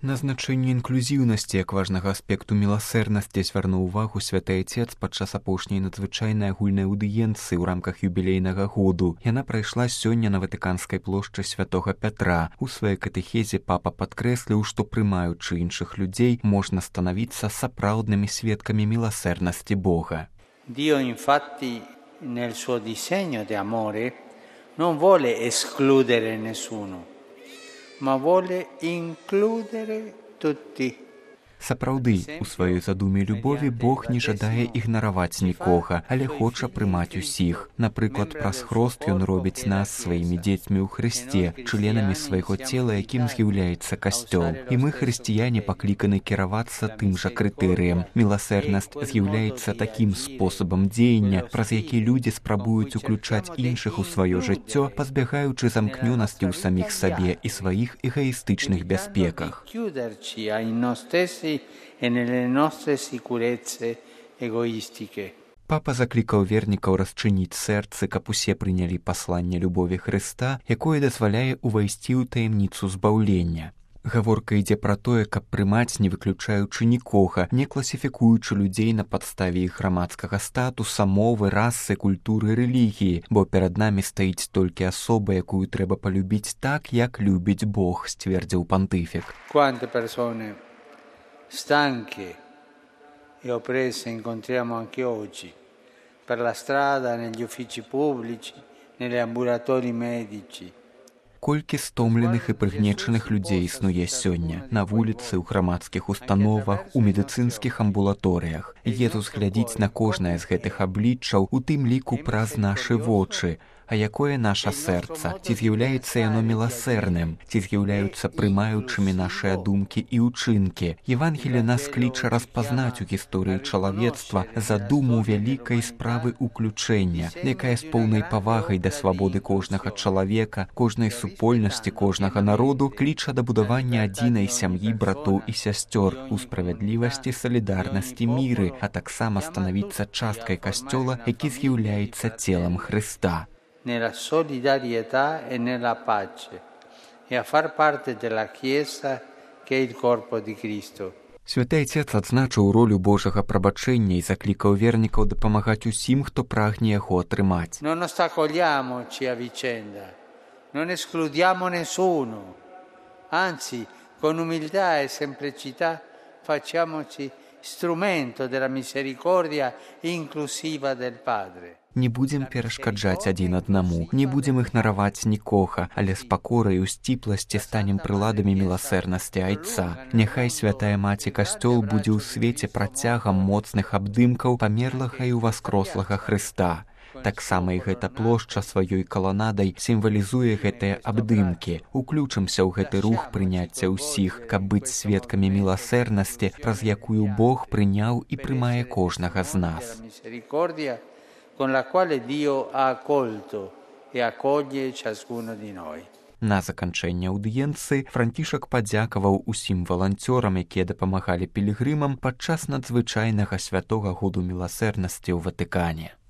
На значэнне інклюзіўнасці як важнага аспекту міласэрнасці звярнуў увагу святы Айцец падчас апошняй надзвычайнай агульнай аўдыенцыі ў рамках юбілейнага году. Яна прайшла сёння на Ватыканскай плошчы святога Пятра. У сваёй катэхезе папа падкрэсліў, што прымаючы іншых людзей можна станавіцца сапраўднымі сведкамі міласэрнасці Бога. Dio infatti nel suo disegno di amore non vuole escludere nessuno, ma vuole includere tutti. Сапраўды, у сваёй задуме любові Бог не жадае ігнараваць нікога, але хоча прымаць усіх. Напрыклад, праз хрост ён робіць нас сваімі дзецьмі ў Хрысце, членамі свайго цела, якім з'яўляецца касцёл. І мы, хрысціяне, пакліканы кіравацца тым жа крытэрыем. Міласэрнасць з'яўляецца такім спосабам дзеяння, праз які людзі спрабуюць уключаць іншых у сваё жыццё, пазбягаючы замкнёнасці ў саміх сабе і сваіх эгаістычных бяспеках. E nelle nostre sicurezze egoistiche. Папа заклікаў вернікаў расчыніць сэрцы, каб усе прынялі пасланне любові Хрыста, якое дазваляе ўвайсці ў таямніцу збаўлення. Гаворка ідзе пра тое, каб прымаць, не выключаючы нікога, не класіфікуючы людзей на падставе іх грамадскага статуса, мовы, расы, культуры, рэлігіі, бо перад намі стаіць толькі асоба, якую трэба палюбіць так, як любіць Бог, сцвердзіў пантыфік. Stanche e oppresse incontriamo anche oggi, per la strada, negli uffici pubblici, negli ambulatori medici. Колькі стомленых і прыгнечаных людзей існуе сёння на вуліцы, ў грамадскіх установах, у медыцынскіх амбулаторыях. Езус глядзіць на кожнае з гэтых абліччаў, у тым ліку праз нашы вочы. А якое наша сэрца? Ці з'яўляецца яно міласэрным? Ці з'яўляюцца прымаючымі нашыя думкі і ўчынкі? Евангелие нас кліча распазнаць у гісторыі чалавецтва задуму вялікай справы уключэння, якая з поўнай павагай да свабоды кожнага чалавека, кожнай супольнасці, кожнага народу кліча да будавання адзінай сям'і братоў і сясцёр у справядлівасці, салідарнасці, міры, а таксама станавіцца часткай касцёла, які з'яўляецца целам Хрыста. Nella solidarietà e nella pace e a far parte della Chiesa che è il corpo di Cristo. Святы Айцец адзначыў ролю Божага прабачэння і заклікаў вернікаў дапамагаць усім, хто прагне яго атрымаць. Non ostacoliamoci a vicenda, non escludiamo nessuno, anzi, con umiltà e semplicità facciamoci strumento della misericordia inclusiva del Padre. Не будзем перашкаджаць адзін аднаму, не будзем ігнараваць нікога, але з пакорай у сціпласці станем прыладамі міласэрнасці Айца. Няхай святая маці касцёл будзе ў свеце працягам моцных абдымкаў памерлага і ўваскрослага Хрыста. Таксама і гэта плошча сваёй каланадай сімвалізуе гэтыя абдымкі. Уключымся ў гэты рух прыняцця ўсіх, каб быць сведкамі міласэрнасці, праз якую Бог прыняў і прымае кожнага з нас. Con la quale Dio ha accolto e accoglie ciascuno di noi. На заканчэнне аўдыенцыі Францішак падзякаваў усім валанцёрам, якія дапамагалі пілігрымам падчас надзвычайнага святога году міласэрнасці ў Ватыкане.